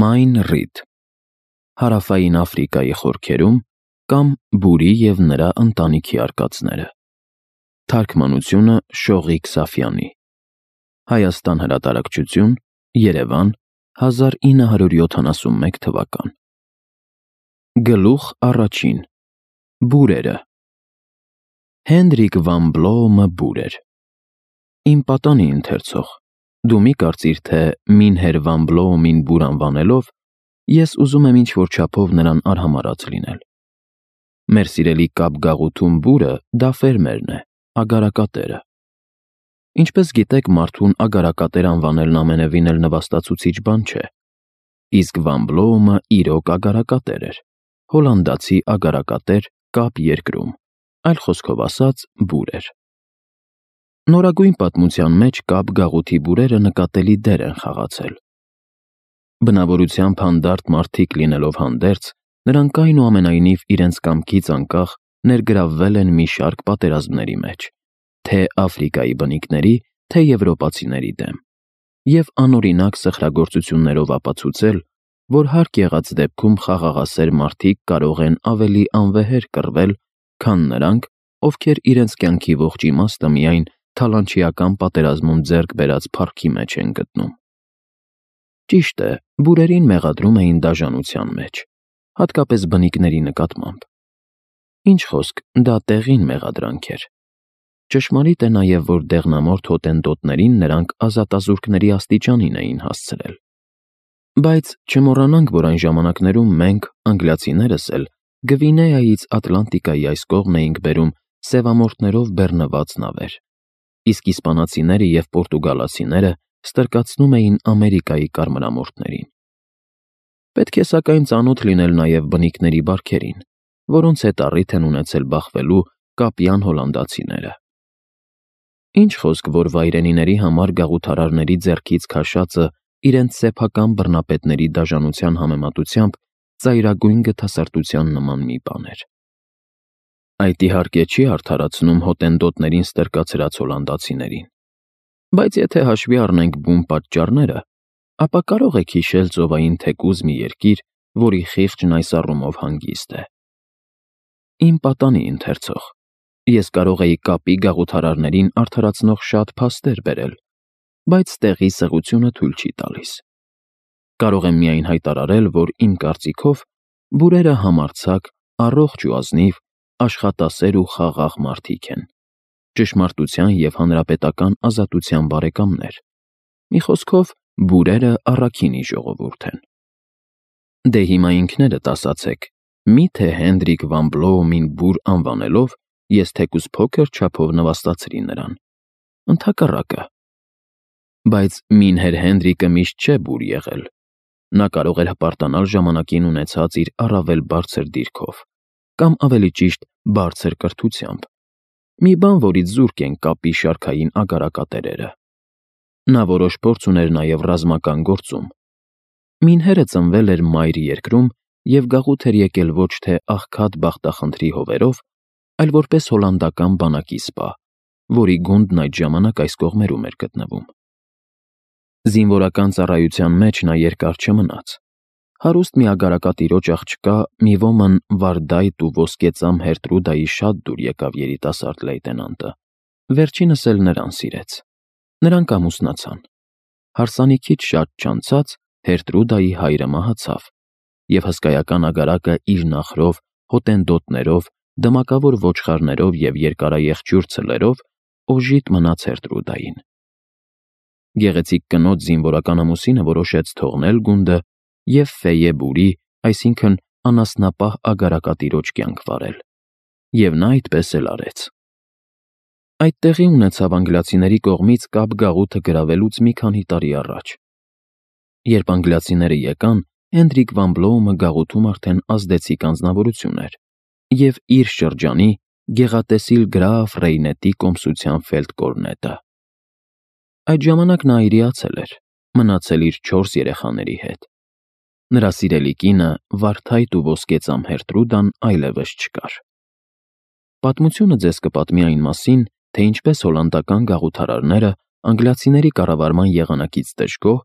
Մայն Ռիդ, Հարավային Աֆրիկայի խորքերում կամ Բուրի և նրա ընտանիքի արկածները։ Թարգմանությունը Շողիկ Սաֆյանի։ Հայաստան հրատարակչություն, Երևան, 1971 թվական։ Գլուխ առաջին. Բուրերը։ Հենրիկ վան Բլոոմը բուր էր։ Իմ պատանի ընթերցող, դու մի կարծիր, թե Մինհեր վան Բլոոմին բուր անվանելով, ես ուզում եմ ինչ-որ չափով նրան արհամարհած լինել։ Մեր սիրելի Կապգաղութում բուրը դա ֆերմերն է, ագարակատերը։ Ինչպես գիտեք, մարդուն ագարակատեր անվանելն ամենևին էլ նվաստացուցիչ բան չէ։ Իսկ վան Բլոոմը իրոք ագարակատեր էր, հոլանդացի ագարակատեր Կապ երկրում, այլ խոսքով ասած, բուր էր։ Նորագույն պատմության մեջ Կապ գաղութի բուրերը նկատելի դեր են խաղացել։ Բնավորությամբ հանդարտ մարդիկ լինելով հանդերձ, նրանք այնուամենայնիվ իրենց կամքից անկախ ներգրավվել են մի շարք պատերազմների մեջ, թե Աֆրիկայի բնիկների, թե եվրոպացիների դեմ, և անօրինակ սխրագործություններով ապացուցել, որ հարկ եղած դեպքում խաղաղասեր մարդիկ կարող են ավելի անվեհեր կռվել, քան նրանք, ովքեր իրենց կյանքի ողջ իմաստը միայն թալանչիական պատերազմում ձեռք բերած փառքի մեջ են գտնում։ Ճիշտ է, բուրերին մեղադրում էին դաժանության մեջ, հատկապես բնիկների նկատմամբ։ Ինչ խոսք, դա տեղին մեղադրանք էր։ Ճշմարիտ է նաև, որ դեղնամորթ հոտենտոտներին նրանք ազատազուրկների աստիճանին էին հասցրել։ Բայց չմոռանանք, որ այն ժամանակներում մենք, անգլիացիներս էլ, Գվինեայից Ատլանտիկայի այս կողմ էինք բերում սևամորթներով բեռնված նավեր, իսկ իսպանացիները և պորտուգալացիները ստրկացնում էին Ամերիկայի կարմրամորթներին։ Պետք է սակայն ծանոթ լինել նաև բնիկների բարքերին, որոնց հետ առիթ են ունեցել բախվելու կապյան հոլանդացիները։ Ինչ խոսք, որ վայրենիների համար գաղութարարների ձեռքից քաշածը իրենց սեփական բռնապետների դաժանության համեմատությամբ ծայրագույն գթասրտության նման մի բան էր։ Այդ իհարկե չի արդարացնում հոտենտոտներին ստրկացրած հոլանդացիներին, բայց եթե հաշվի առնենք բուն պատճառները, ապա կարող եք հիշել ծովային թեկուզ մի երկիր, որի խիղճն այս առումով հանգիստ է։ Իմ պատանի ընթերցող, ես կարող էի Կապի գաղութարարներին արդարացնող շատ փաստեր բերել, բայց տեղի սղությունը թույլ չի տալիս։ Կարող եմ միայն հայտարարել, որ իմ կարծիքով բուրերը համարձակ, առողջ ու ազնիվ, աշխատասեր ու խաղաղ մարդիկ են, ճշմարտության և հանրապետական ազատության բարեկամներ։ Մի խոսքով, բուրերը առաքինի ժողովուրդ են։ Դե հիմա ինքներդ ասացեք, միթե Հենրիկ վան Բլոոմին բուր անվանելով, ես թեկուզ փոքր չափով նվաստացրի նրան։ Ընդհակառակը։ Բայց Մինհեր Հենրիկը միշտ չէ բուր եղել։ Նա կարող էր հպարտանալ ժամանակին ունեցած իր առավել բարձր դիրքով, կամ ավելի ճիշտ բարձր կրթությամբ, մի բան, որից զուրկ են Կապի շարքային ագարակատերերը։ Նա որոշ փորձ ուներ նաև ռազմական գործում։ Մինհերը ծնվել էր Մայր երկրում և գաղութ էր եկել ոչ թե աղքատ բախտախնդրի հովերով, այլ որպես հոլանդական բանակի սպա, որի գունդն այդ ժամանակ այս կողմերում էր գտնվում։ Զինվորական ծառայության մեջ նա երկար չմնաց։ Հարուստ մի ագարակատիրոջ աղջկա մի ոմն վարդայտ ու ոսկեծամ Հերտրուդայի շատ դուր եկավ երիտասարդ լեյտենանտը, վերջինս էլ նրան սիրեց։ Նրանք ամուսնացան։ Հարսանիքից շատ չանցած Հերտրուդայի հայրը մահացավ, և հսկայական ագարակը իր նախրով, հոտենտոտներով, դմակավոր ոչխարներով և երկարաեղջյուր ցլերով օժիտ մնաց Հերտրուդային։ Գեղեցիկ կնոջ զինվորական ամուսինը որոշեց թողնել գունդը և Ֆեյե բուրի, այսինքն անասնապահ ագարակատիրոջ կյանք վարել, և նա այդպես էլ արեց։ Այդ տեղի ունեցավ անգլիացիների կողմից Կապ գաղութը գրավելուց մի քանի տարի առաջ։ Երբ անգլիացիները եկան, Հենրիկ վան Բլոոմը գաղութում արդեն ազդեցիկ անձնավորություն էր և իր շրջանի գեղատեսիլ գրաֆ Ռեյնետի կոմսության ֆելդկորնետը։ Այդ ժամանակ նա այրիացել էր, մնացել իր 4 երեխաների հետ։ Նրա սիրելի կինը, վարդայտ ու ոսկեծամ Հերտրուդան այլևս չկար։ Պատմությունը ձեզ կպատմի այն մասին, թե ինչպես հոլանդական գաղութարարները անգլիացիների կառավարման եղանակից դժգոհ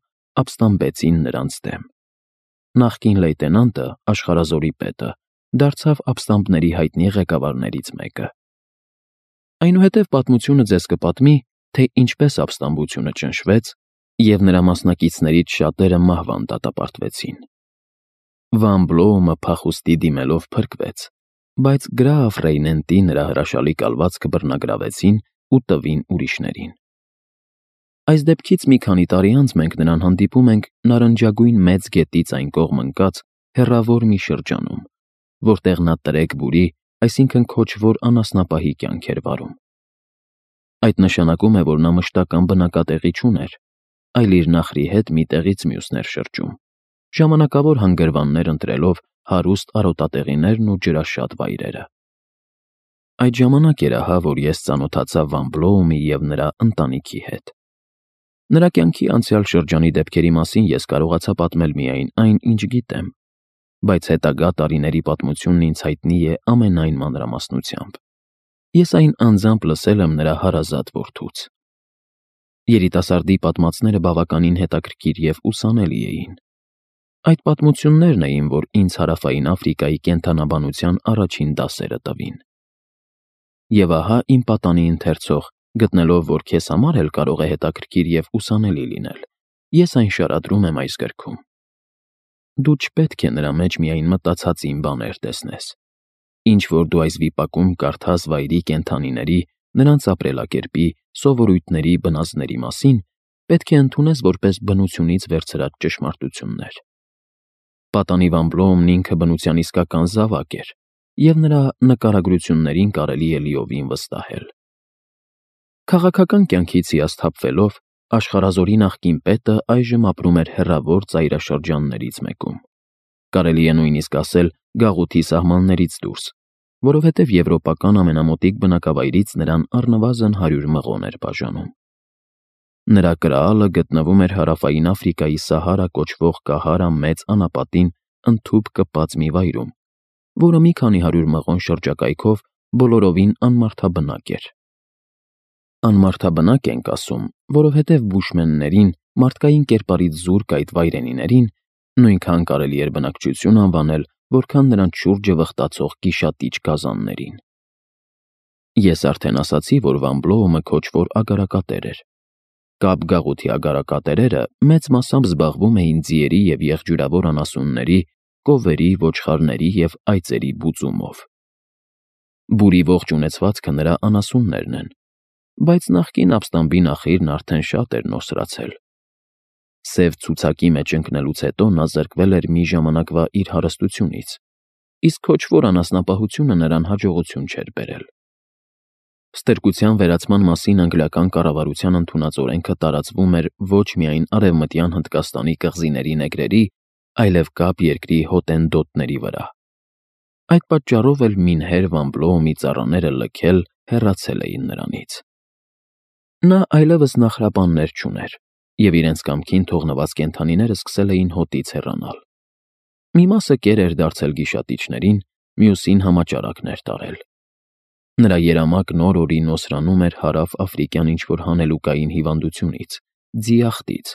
ապստամբեցին նրանց դեմ։ նախկին լեյտենանտը, աշխարհազորի պետը, դարձավ ապստամբների հայտնի ղեկավարներից մեկը։ Այնուհետև պատմությունը ձեզ կպատմի, թե ինչպես ապստամբությունը ճնշվեց, և նրա մասնակիցներից շատերը մահվան դատապարտվեցին։ Վան Բլոումը փախուստի դիմելով փրկվեց, բայց գրաֆ Ռեյնենտի նրա հրաշալի կալվածքը բռնագրավեցին ու տվին ուրիշներին։ Այս դեպքից մի քանի տարի անց մենք նրան հանդիպում ենք նարնջագույն մեծ գետից այն կողմ ընկած հեռավոր մի շրջանում, որտեղ նա տրեկ բուրի, այսինքն քոչվոր անասնապահի կյանք էր վարում։ Այդ նշանակում է, որ նա մշտական բնակատեղի չուներ, այլ իր նախրի հետ մի տեղից մյուսներ շրջում, ժամանակավոր հանգրվաններ ընտրելով հարուստ արոտատեղիներն ու ջրաշատ վայրերը։ Այդ ժամանակ էր ահա, որ ես ծանոթացա Վան Բլոումի և նրա ընտանիքի հետ։ Նրա կյանքի անցյալ շրջանի դեպքերի մասին ես կարողացա պատմել միայն այն, ինչ գիտեմ, բայց հետագա տարիների պատմությունն ինձ հայտնի է ամենայն մանրամասնությամբ։ Ես այն անձամբ լսել եմ նրա հարազատ որդուց։ Երիտասարդի պատմածները բավականին հետաքրքիր և ուսանելի էին։ Այդ պատմություններն էին, որ ինձ Հարավային Աֆրիկայի կենդանաբանության առաջին դասերը տվին։ Եվ ահա իմ պատանի ընթերցող, գտնելով, որ քեզ համար էլ կարող է հետաքրքիր և ուսանելի լինել, ես այն շարադրում եմ այս գրքում։ Դու չպետք է նրա մեջ միայն մտածածին բաներ տեսնես։ Ինչ որ դու այս վիպակում կարդաս վայրի կենդանիների, նրանց ապրելակերպի, սովորույթների, բնազդների մասին, պետք է ընդունես որպես բնությունից վերցրած ճշմարտություններ։ Պատանի Վան Բլոումն ինքը բնության իսկական զավակ էր, և նրա նկարագրություններին կարելի է լիովին վստահել։ Քաղաքական կյանքից հիասթափվելով, աշխարհազորի նախկին պետը այժմ ապրում էր հեռավոր ծայրաշրջաններից մեկում։ Կարելի է նույնիսկ ասել գաղութի սահմաններից դուրս, որովհետև եվրոպական ամենամոտիկ բնակավայրից նրան առնվազն 100 մղոն էր բաժանում։ Նրա կրալը գտնվում էր Հարավային Աֆրիկայի Սահարա կոչվող Կահարա մեծ անապատին ընդհուպ կպած մի վայրում, որը մի քանի 100 մղոն շրջակայքով բոլորովին անմարդաբնակ էր։ Անմարդաբնակ ենք ասում, որովհետև բուշմեններին, մարդկային կերպարից զուրկ այդ վայրենիներին, նույնքան կարելի էր բնակչություն անվանել, որքան նրանց շուրջը վխտացող գիշատիչ գազաններին։ Ես արդեն ասացի, որ Վան Բլոումը քոչվոր ագարակատեր էր։ Կապ գաղութի ագարակատերերը մեծ մասամբ զբաղվում էին ձիերի և եղջյուրավոր անասունների, կովերի, ոչխարների և այծերի բուծումով։ Բուրի ողջ ունեցվածքը նրա անասուններն են, բայց նախկին ապստամբի նախիրն արդեն շատ էր նոսրացել։ Սև ցուցակի մեջ ընկնելուց հետո նա զրկվել էր մի ժամանակվա իր հարստությունից, իսկ քոչվոր անասնապահությունը նրան հաջողություն չէր բերել։ Ստրկության վերացման մասին անգլիական կառավարության ընդունած օրենքը տարածվում էր ոչ միայն Արևմտյան Հնդկաստանի կղզիների նեգրերի, այլև կապ երկրի հոտենտոտների վրա։ Այդ պատճառով էլ մինհեր Վան Բլոումի ծառաները լքել, հեռացել էին նրանից։ Նա այլևս նախրաբաններ չուներ, և իրենց կամքին թողնված կենդանիները սկսել էին հոտից հեռանալ։ Մի մասը կեր էր դարձել գիշատիչներին, մյուսին համաճարակներ տարել։ Նրա երամակ նոր օրի նոսրանում էր հարավ-աֆրիկյան ինչ-որ հանելուկային հիվանդությունից, ձիախտից,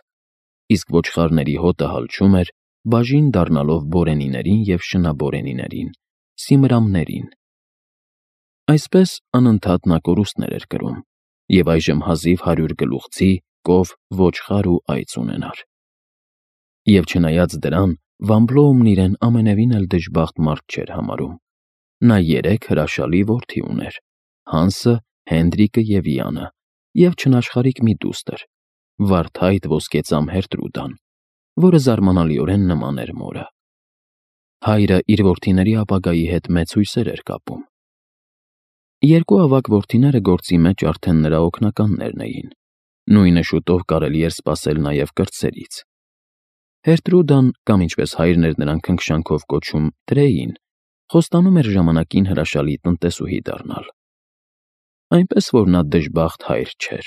իսկ ոչխարների հոտը հալչում էր, բաժին դառնալով բորենիներին և շնաբորենիներին, սիմրամներին։ Այսպես անընդհատ նա կորուստներ էր կրում, և այժմ հազիվ 100 գլուխ ձի, կով, ոչխար ու այծ ունենար։ Եվ չնայած դրան, Վան Բլոումն իրեն ամենևին էլ դժբախտ մարդ չէր համարում։ Նա 3 հրաշալի որդի ուներ՝ Հանսը, Հենդրիկը և Յանը, և չնաշխարհիկ մի դուստր՝ վարդայտ ոսկեծամ Հերտրուդան, որը զարմանալիորեն նման էր մորը։ Հայրը իր որդիների ապագայի հետ մեծ հույսեր էր կապում։ Երկու ավագ որդիները գործի մեջ արդեն նրա օգնականներն էին։ Նույնը շուտով կարելի էր սպասել նաև կրտսերից։ Հերտրուդան, կամ ինչպես հայրն էր նրան քնքշանքով կոչում Տրեյին, խոստանում էր ժամանակին հրաշալի տնտեսուհի դառնալ։ Այնպես որ նա դժբախտ հայր չէր,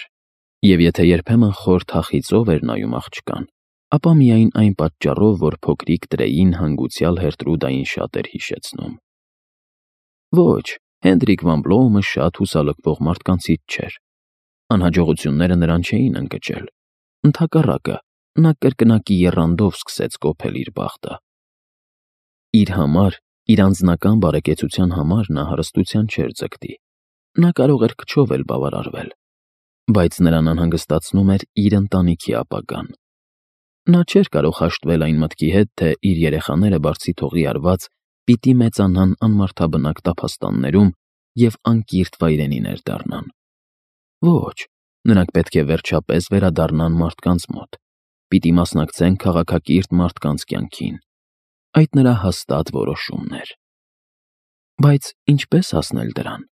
և եթե երբեմն խոր թախիծով էր նայում աղջկան, ապա միայն այն պատճառով, որ փոքրիկ Տրեյին հանգուցյալ Հերտրուդային շատ էր հիշեցնում։ Ոչ, Հենդրիկ Վան Բլոումը շատ հուսալքվող մարդկանցից չէր։ Անհաջողությունները նրան չէին ընկճել։ Ընդհակառակը, նա կրկնակի եռանդով սկսեց կոփել իր բախտը։ Իր համար, իր անձնական բարեկեցության համար նա հարստության չէր ձգտի։ Նա կարող էր քչով էլ բավարարվել, բայց նրան անհանգստացնում էր իր ընտանիքի ապագան։ Նա չէր կարող հաշտվել այն մտքի հետ, թե իր երեխաները բարձի թողի արված պիտի մեծանան անմարդաբնակ տափաստաններում և անկիրթ վայրենիներ դառնան։ Ոչ, նրանք պետք է վերջապես վերադառնան մարդկանց մոտ, պիտի մասնակցեն քաղաքակիրթ մարդկանց կյանքին։ Այդ նրա հաստատ որոշումն էր։ Բայց ինչպես հասնել դրան։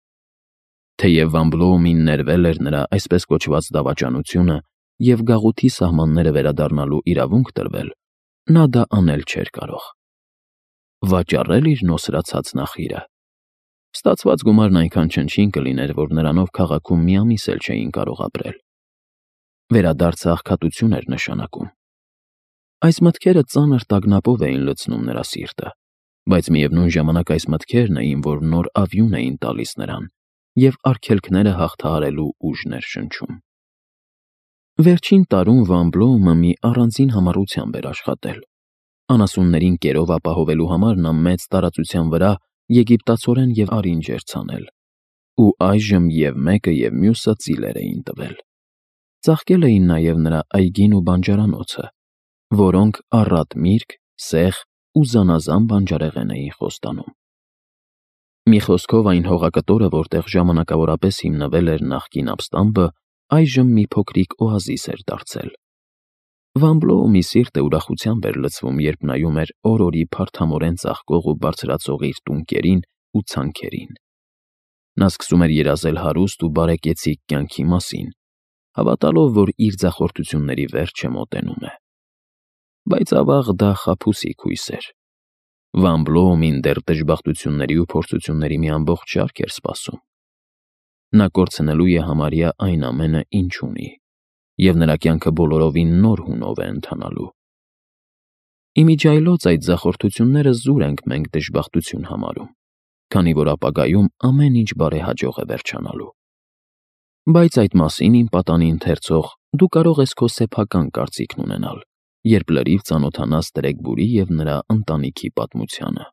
Թեև Վան Բլոումին ներվել էր նրա այսպես կոչված դավաճանությունը և գաղութի սահմանները վերադառնալու իրավունք տրվել, նա դա անել չէր կարող։ Վաճառել իր նոսրացած նախիրը։ Ստացված գումարն այնքան չնչին կլիներ, որ նրանով քաղաքում մի ամիս էլ չէին կարող ապրել։ Վերադարձը աղքատություն էր նշանակում։ Այս մտքերը ծանր տագնապով էին լցնում նրա սիրտը, բայց միևնույն ժամանակ այս մտքերն էին, որ նոր ավյուն էին տալիս նրան և արգելքները հաղթահարելու ուժն էր շնչում։ Վերջին տարում Վան Բլոումը մի առանձին համառությամբ էր աշխատել։ Անասուններին կերով ապահովելու համար նա մեծ տարածության վրա եգիպտացորեն և արինջ էր ցանել, ու այժմ և մեկը և մյուսը ծիլեր էին տվել։ Ծաղկել էին նաև նրա այգին ու բանջարանոցը, որոնք առատ միրգ, սեխ ու զանազան բանջարեղեն էին խոստանում։ Մի խոսքով այն հողակտորը, որտեղ ժամանակավորապես հիմնվել էր նախկին ապստամբը, այժմ մի փոքրիկ օազիս էր դարձել։ Վան Բլոումի սիրտը ուրախությամբ էր լցվում, երբ նայում էր օր-օրի փարթամորեն ծաղկող ու բարձրացող իր տունկերին ու ցանքերին։ Նա սկսում էր երազել հարուստ ու բարեկեցիկ կյանքի մասին, հավատալով, որ իր ձախորդությունների վերջը մոտենում է։ Բայց ավաղ դա խաբուսիկ հույս էր։ Վան Բլոումին դեռ դժբախտությունների ու փորձությունների մի ամբողջ շարք էր սպասում։ Նա կորցնելու է համարյա այն ամենը, ինչ ունի, և նրա կյանքը բոլորովին նոր հունով է ընթանալու։ Իմիջիայլոց այդ ձախորդությունները զուր ենք մենք դժբախտություն համարում, քանի որ ապագայում ամեն ինչ բարեհաջող է վերջանալու։ Բայց այդ մասին, իմ պատանի ընթերցող, դու կարող ես քո սեփական կարծիքն ունենալ, երբ լրիվ ծանոթանաս Տրեգբուրի և նրա ընտանիքի պատմությանը։